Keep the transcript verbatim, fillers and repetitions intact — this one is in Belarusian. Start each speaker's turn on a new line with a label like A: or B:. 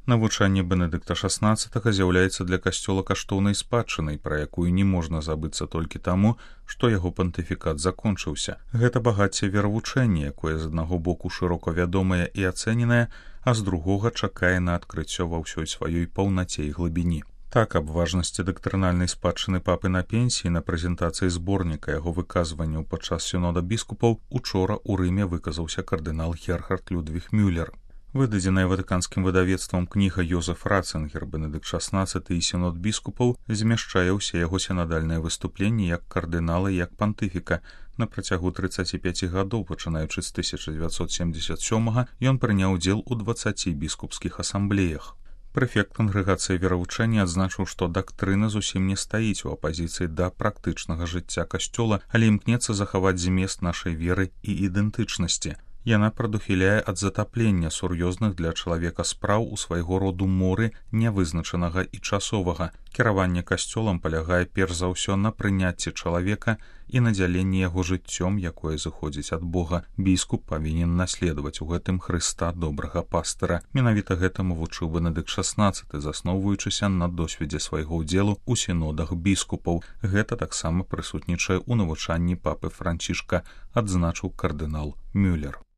A: Навучанне Бенедыкта шаснаццатага з'яўляецца для касцёла каштоўнай спадчынай, пра якую не можна забыцца толькі таму, што яго пантыфікат закончыўся. Гэта багацце веравучэння, якое з аднаго боку шырока вядомае і ацэненае, а з другога чакае на адкрыццё ва ўсёй сваёй паўнаце і глыбіні. Так, аб важнасці дактрынальнай спадчыны папы на пенсіі на прэзентацыі зборніка яго выказванняў падчас сінода біскупаў учора ў Рыме выказаўся кардынал Герхард Людвіг Мюллер. Выдадзеная ватыканскім выдавецтвам кніга Йозеф Ратцингер «Бенедыкт шаснаццаты і сінод біскупаў» змяшчае ўсе яго сінадальныя выступленні як кардынала і як пантыфіка. На працягу трыццаці пяці гадоў, пачынаючы з тысяча дзевяцьсот семдзесят сёмага, ён прыняў удзел у дваццаці біскупскіх асамблеях. Прэфект кангрэгацыі веравучэння адзначыў, што дактрына зусім не стаіць у апазіцыі да практычнага жыцця касцёла, але імкнецца захаваць змест нашай веры і ідэнтычнасці. Яна прадухіляе ад затаплення сур'ёзных для чалавека спраў у свайго роду моры нявызначанага і часовага. Кіраванне касцёлам палягае перш за ўсё на прыняцці чалавека і надзяленні яго жыццём, якое зыходзіць ад Бога. Біскуп павінен наследаваць у гэтым Хрыста добрага пастыра. Менавіта гэтаму вучыў Бенедыкт шаснаццаты, засноўваючыся на досведзе свайго ўдзелу ў сінодах біскупаў. Гэта таксама прысутнічае ў навучанні папы Францішка, адзначыў кардынал Мюллер.